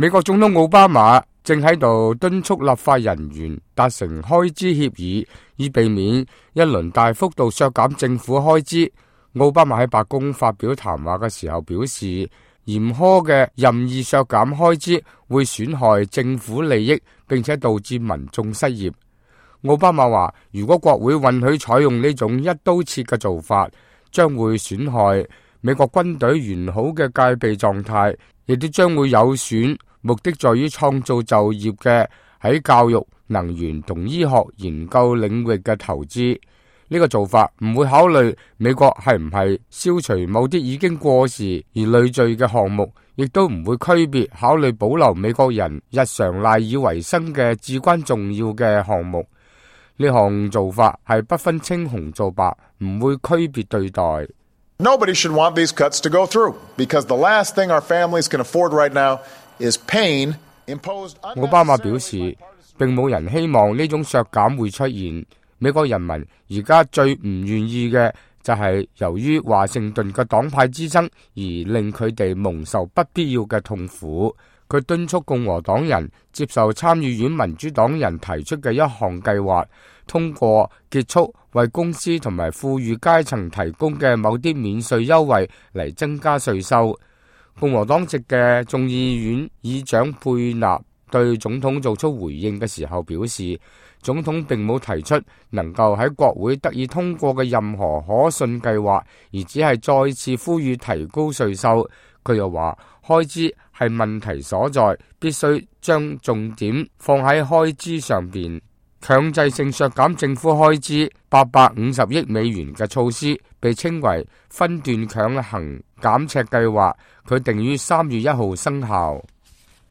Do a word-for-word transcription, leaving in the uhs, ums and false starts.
美國總統奧巴馬正喺度敦促立法人員達成開支協議，以避免一輪大幅度削減政府開支。奧巴馬喺白宮發表談話嘅時候表示，嚴苛嘅任意削減開支會損害政府利益，並且導致民眾失業。奧巴馬話，如果國會允許採用呢種一刀切嘅做法，將會損害美國軍隊完好嘅戒備狀態，亦都將會有損目的在於創造就業嘅喺教育、能源同醫學研究領域嘅投資。呢個做法唔會考慮美國係唔係消除某啲已經過時而累贅嘅項目，亦都唔會區別考慮保留美國人日常賴以為生嘅至關重要嘅項目。呢項做法係不分青紅皂白，唔會區別對待。Nobody should want these cuts to go through, because the last thing our families can afford right now is pain imposed. 奧巴馬表示，並冇人希望呢種削減會出現。美國人民而家最唔願意嘅就係由於華盛頓嘅黨派之爭而令佢哋蒙受不必要嘅痛苦。佢敦促共和黨人接受參議院民主黨人提出嘅一項計劃，通過結束為公司同埋富裕階層提供嘅某啲免稅優惠嚟增加稅收。共和黨籍嘅眾議院議長佩納對總統做出回應嘅時候表示，總統並冇提出能夠喺國會得以通過嘅任何可信計劃，而只係再次呼籲提高稅收。佢又話，開支係問題所在，必須將重點放喺開支上邊。強制性削減政府開支八百五十億美元嘅措施被稱為分段強行減赤計劃，佢定於三月一號生效。